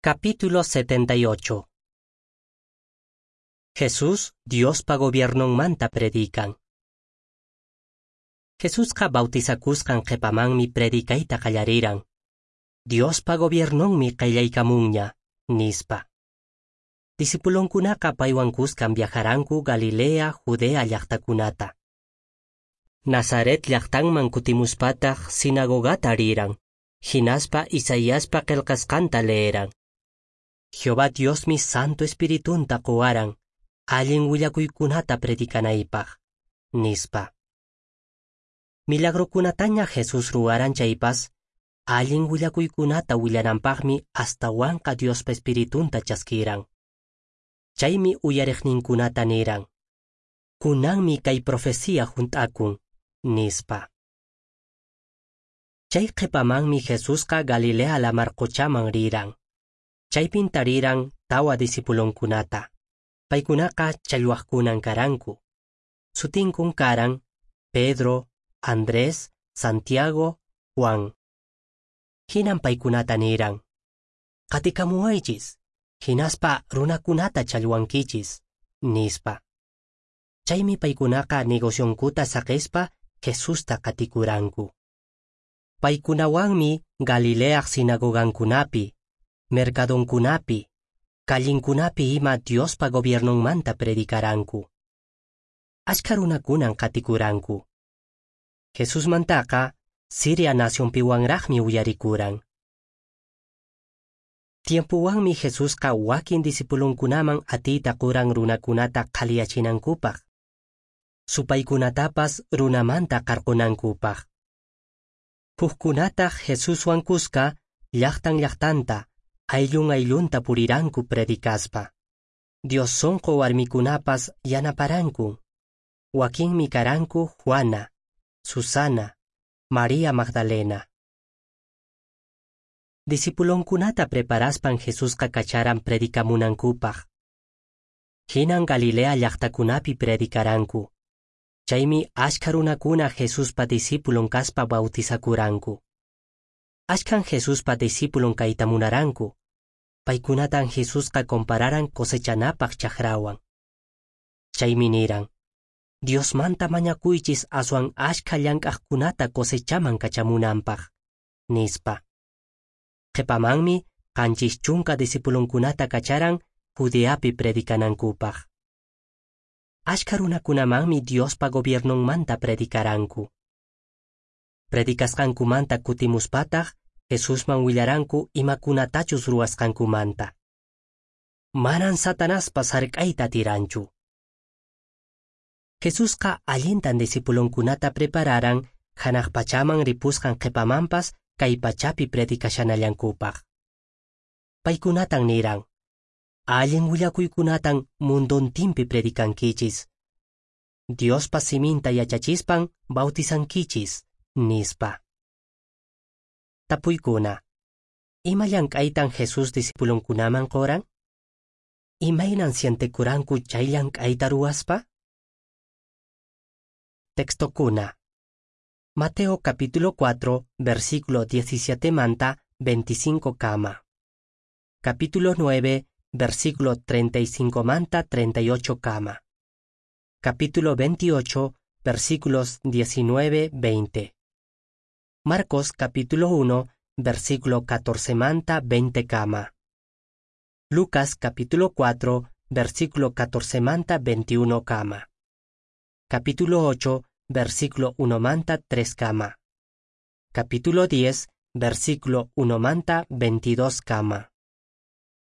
Capítulo 78. Jesús Diospa gobiernonmanta predican. Jesusqa bautizakusqan qhepamanmi predicayta qallariran. Diospa gobiernonmi qayllaykamunña, nispa. Discipulonkunaqa paywan kuskan viajaranku Galilea, Judea llaqtakunata. Nazaret llaqtanman kutimuspataq sinagogata riran, hinaspa Isaiaspa qillqasqanta leeran. Jehová Diosmi Santo Espiritunta qowaran, allin willakuykunata predicanaypaq, nispa. Milagrokunataña Jesús ruwaran chaypas, allin willakuykunata willananpaqmi astawanqa Diospa Espiritunta chaskiran. Chaymi uyariqninkunata niran: Kunanmi kay profecía hunt'akun, nispa. Chay qhipamanmi Jesusqa Galilea lamar quchaman riran. Chaypin tariran tawa discipulonkunata. Paykunaqa challwaqkunan karanku. Sutinkun karan Pedro, Andrés, Santiago, Juan. Hinan paykunata niran: Qatikamuwaychis, hinaspa runakunata challwankichis, nispa. Chaymi paykunaqa negocionkuta saqispa Jesusta qatikuranku. Paykunawanmi Galileaq sinagogankunapi, mercadonkunapi, callinkunapi ima Diospa gobiernonmanta predicaranku. Achka runakunan qatikuranku. Jesusmantaqa Siria nacionpiwanraqmi uyarikuran. Tiempuwanmi Jesusqa wakin discipulonkunaman atiyta quran runakunata qhaliyachinankupaq, supaykunatapas runamanta qarqunankupaq. Hukkunataq Jesuswan kuska llaqtan llaqtanta, ayllun ayllunta puriranku predicaspa. Dios sonqo warmikunapas yanaparanku. Wakinmi karanku Juana, Susana, María Magdalena. Discipulonkunata preparaspan Jesusqa kacharan predicamunankupaq. Hinan Galilea llaqtakunapi predicaranku. Chaymi achka runakuna Jesuspa discipulon kaspa bautizakuranku. Achkan Jesuspa discipulon kayta munaranku. Paykunatan Jesusqa compararan cosechanapaq chakrawan. Chaymi niran: Diosmanta mañakuychis aswan achka llank'aqkunata cosechaman kachamunanpaq, nispa. Qhipamanmi 70 discipulonkunata kacharan Judeapi predicanankupaq. Achka runakunamanmi Diospa gobiernonmanta predicaranku. Predicasqankumanta kutimuspataq Jesusman willaranku imakunatachus ruwasqankumanta. Manan Satanaspas hark'ayta atiranchu. Jesusqa allintan discipulonkunata prepararan hanaq pachaman ripusqan qhipamanpas kay pachapi predicashanallankupaq. Paykunatan niran: Allin willakuykunatan mundontinpi predicankichis. Diospa siminta yachachispan bautizankichis, nispa. Tapuykuna: Ima llank'aytan Jesús discipulonkunaman qoran? Imaynan sientekuranku chay llank'ayta ruwaspa? Textokuna. Mateo capítulo 4, versículo 17 manta 25 kama. Capítulo 9, versículo 35 manta 38 kama. Capítulo 28, versículos 19, 20. Marcos capítulo 1, versículo 14 manta 20 kama. Lucas capítulo 4, versículo 14 manta 21 kama. Capítulo 8, versículo 1 manta 3 kama. Capítulo 10, versículo 1 manta 22 kama.